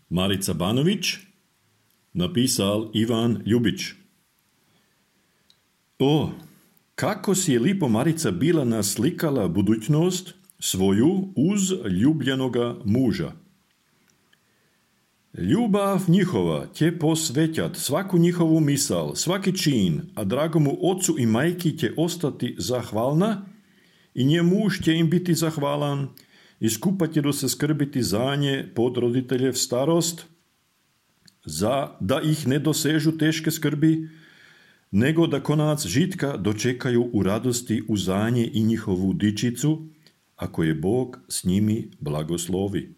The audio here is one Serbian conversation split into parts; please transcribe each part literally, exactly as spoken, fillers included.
Marica Banović, napisal Ivan Ljubić. O, kako si je lipo Marica bila naslikala budućnost svoju uz ljubljenoga muža. Ljubav njihova će posvećat svaku njihovu misal, svaki čin, a dragomu ocu i majki će ostati zahvalna i nje muž će im biti zahvalan i skupa će do se skrbiti za nje pod roditeljev starost, za da ih ne dosežu teške skrbi, nego da konac žitka dočekaju u radosti uz nje i njihovu dičicu, ako je Bog s njimi blagoslovi.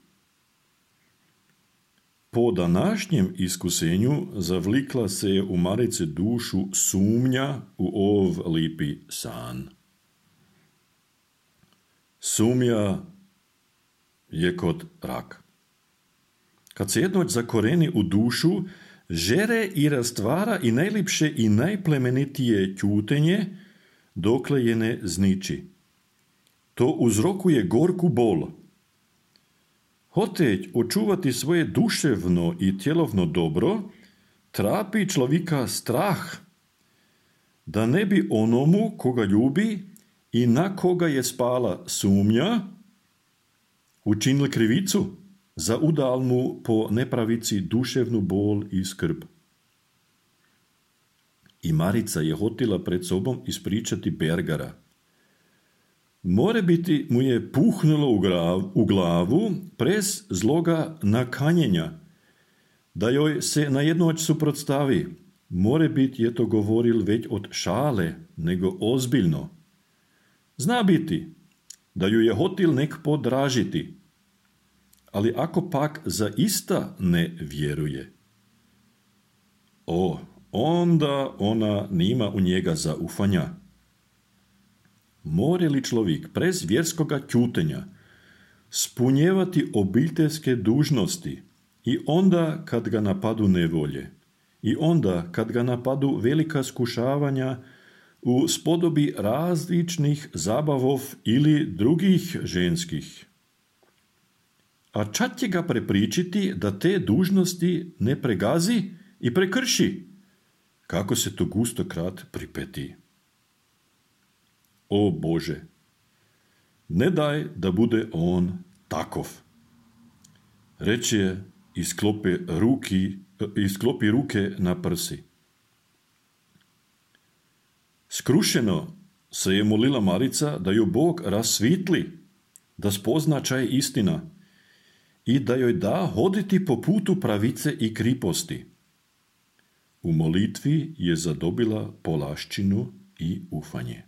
Po današnjem iskusenju zavlikla se je u Marice dušu sumnja u ov lipi san. Sumnja je kod rak. Kad se jednoć zakoreni u dušu, žere i rastvara i najlipše i najplemenitije ćutenje, dokle je ne zniči. To uzrokuje gorku bol. Hoteć očuvati svoje duševno i tjelovno dobro, trapi človika strah, da ne bi onomu koga ljubi i na koga je spala sumnja, učinili krivicu, zaudal mu po nepravici duševnu bol i skrb. I Marica je hotila pred sobom ispričati Bergara. More biti mu je puhnulo u, grav, u glavu prez zloga nakanjenja, da joj se na jednoć suprotstavi. More biti je to govoril već od šale, nego ozbiljno. Zna biti, da ju je hotil nek podražiti, ali ako pak zaista ne vjeruje, o, onda ona nima u njega zaufanja. More li človek prez vjerskoga ćutenja spunjevati obiteljske dužnosti i onda kad ga napadu nevolje, i onda kad ga napadu velika skušavanja u spodobi različnih zabavov ili drugih ženskih. A čak će ga prepričiti da te dužnosti ne pregazi i prekrši, kako se to gustokrat pripeti. O Bože, ne daj da bude on takov. Reče i sklopi, ruki, i sklopi ruke na prsi. Skrušeno se je molila Marica da ju Bog rasvitli, da spozna ča je istina i da joj da hoditi po putu pravice i kriposti. U molitvi je zadobila polaščinu i ufanje.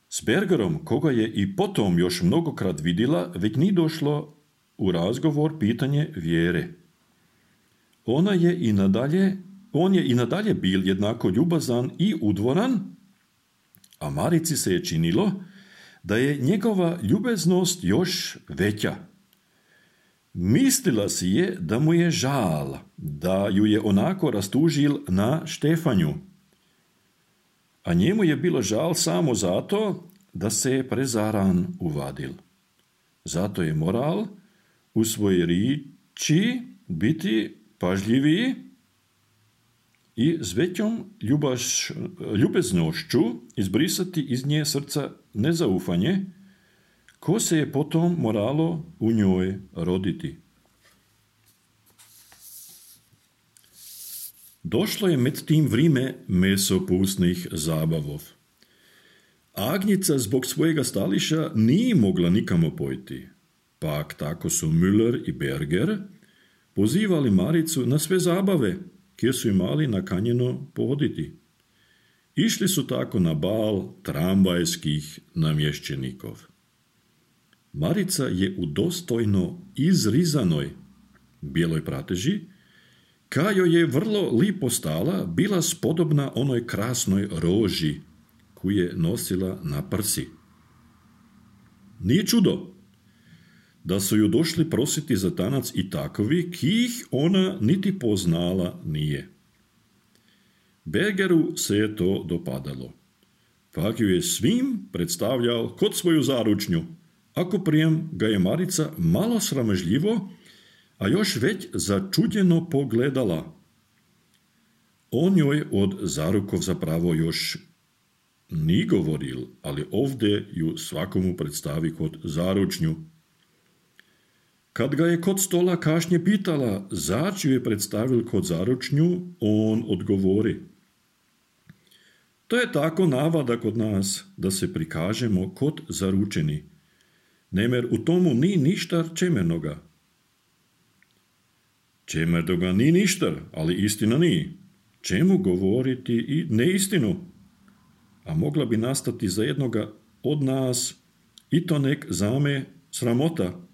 S Bergerom, koga je i potom još mnogokrat vidjela, već ni došlo u razgovor pitanje vjere. Ona je i nadalje, on je i nadalje bil jednako ljubazan i udvoran, a Marici se je činilo da je njegova ljubeznost još veća. Mislila si je da mu je žal, da ju je onako rastužil na štefanju. A njemu je bilo žal samo zato da se je prezaran uvadil. Zato je moral u svojoj riči biti pažljiviji i s većom ljubaš, ljubeznošću izbrisati iz nje srca nezaufanje, ko se je potom moralo u njoj roditi. Došlo je med tim vrime mesopustnih zabavov. Agnica zbog svojega stališa nije mogla nikamo pojti, pak tako su Müller i Berger pozivali Maricu na sve zabave, kjer su imali nakanjeno pohoditi. Išli su tako na bal tramvajskih namješćenikov. Marica je u dostojno izrizanoj bijeloj prateži, kajo je vrlo lipo stala, bila spodobna onoj krasnoj roži, koju je nosila na prsi. Nije čudo da su ju došli prositi za tanac i takovi, kih ona niti poznala nije. Bergeru se je to dopadalo. Pak ju je svim predstavljal kod svoju zaručnju, ako prijem ga je Marica malo sramežljivo, a još već začudjeno pogledala. On joj od zarukov zapravo još ni govoril, ali ovdje ju svakomu predstavi kod zaručnju. Kad ga je kod stola kašnje pitala, zač ju je predstavil kod zaručnju, on odgovori. To je tako navada kod nas, da se prikažemo kod zaručeni. Nemer u tomu ni ništar čemernoga. Čemernoga ni ništar, ali istina ni. Čemu govoriti i neistinu? A mogla bi nastati za jednoga od nas i to nek zame sramota,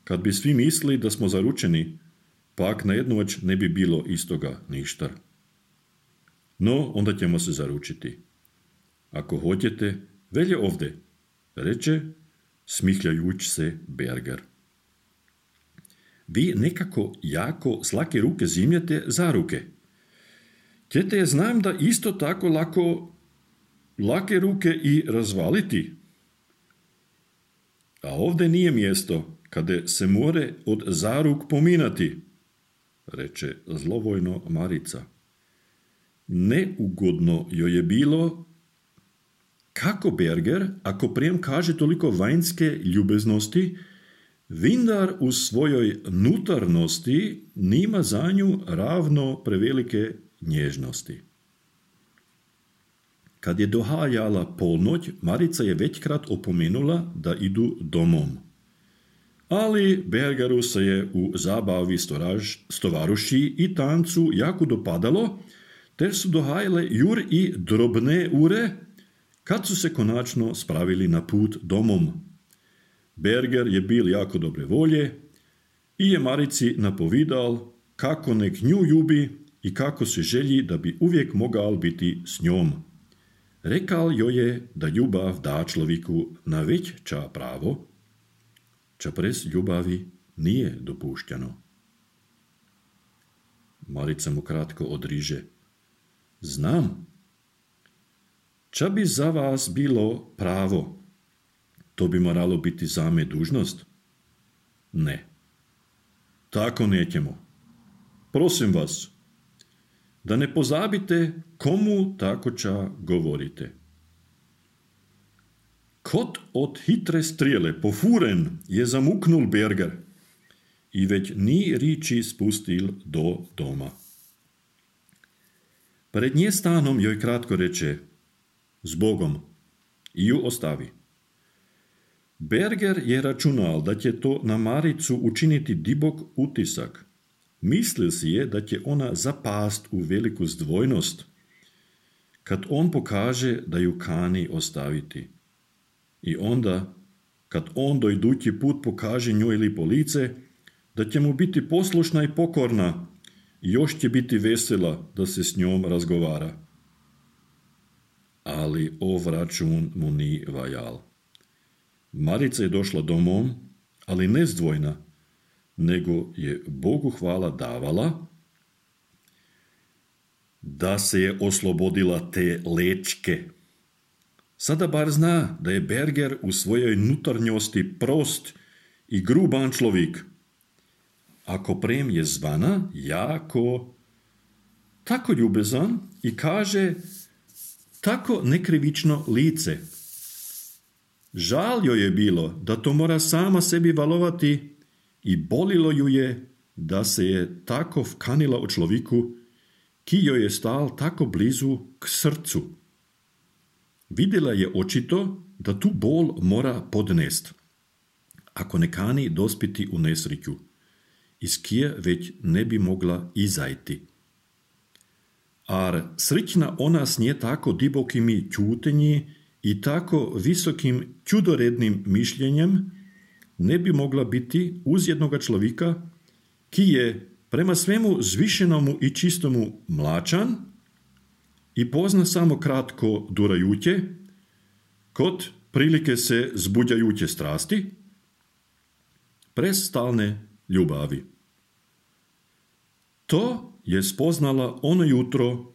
kad bi svi mislili da smo zaručeni, pak na jednu noć ne bi bilo istoga ništa. No, onda ćemo se zaručiti. Ako hoćete, velje ovdje, reče, smihljajuć se Berger. Vi nekako jako s lake ruke zimljate zaruke. Ćete znam da isto tako lako lake ruke i razvaliti. A ovdje nije mjesto kada se more od zaruk pominati, reče zlovojno Marica. Neugodno joj je bilo, kako Berger, ako prijem kaže toliko vanjske ljubeznosti, vindar u svojoj nutarnosti nima za nju ravno prevelike nježnosti. Kad je dohajala polnoć, Marica je većkrat opomenula da idu domom. Ali Bergeru se je u zabavi storaž, stovaruši i tancu jako dopadalo, ter su dohajale jur i drobne ure, kad su se konačno spravili na put domom. Berger je bil jako dobre volje i je Marici napovidal, kako nek nju ljubi i kako se želji da bi uvijek mogal biti s njom. Rekal joj je da ljubav da človeku na veća pravo, ča brez ljubavi nije dopušteno. Marica mu kratko odriže. Znam. Ča bi za vas bilo pravo? To bi moralo biti za me dužnost? Ne. Tako nećemo. Prosim vas, da ne pozabite komu tako ča govorite. Kot od hitre strijele pofuren je zamuknul Berger i već ni riči spustil do doma. Pred nje stanom joj kratko reče, s Bogom, i ju ostavi. Berger je računal da će to na Maricu učiniti dibok utisak. Mislil si je da će ona zapast u veliku zdvojnost, kad on pokaže da ju kani ostaviti. I onda, kad on dojdući put pokaže njoj lipo lice, da će mu biti poslušna i pokorna, i još će biti vesela da se s njom razgovara. Ali ov račun mu ni vajal. Marica je došla domom, ali ne zdvojna, nego je Bogu hvala davala, da se je oslobodila te lečke. Sada bar zna da je Berger u svojoj nutarnjosti prost i gruban človek. Ako prem je zvana jako, tako ljubezan i kaže tako nekrivično lice. Žal joj je bilo da to mora sama sebi valovati i bolilo ju je da se je tako vkanila o človeku, ki joj je stal tako blizu k srcu. Videla je očito da tu bol mora podnest, ako ne kani dospiti u nesriću, iz kije već ne bi mogla izajti. Ar srićna ona s nje tako dibokimi ćutenji i tako visokim čudorednim mišljenjem ne bi mogla biti uz jednoga človeka, ki je prema svemu zvišenomu i čistomu mlačan i pozna samo kratko durajuće, kod prilike se zbudjajuće strasti, prez stalne ljubavi. To je spoznala ono jutro,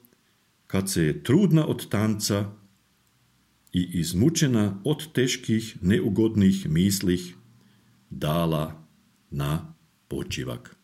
kad se je trudna od tanca i izmučena od teških neugodnih mislih dala na počivak.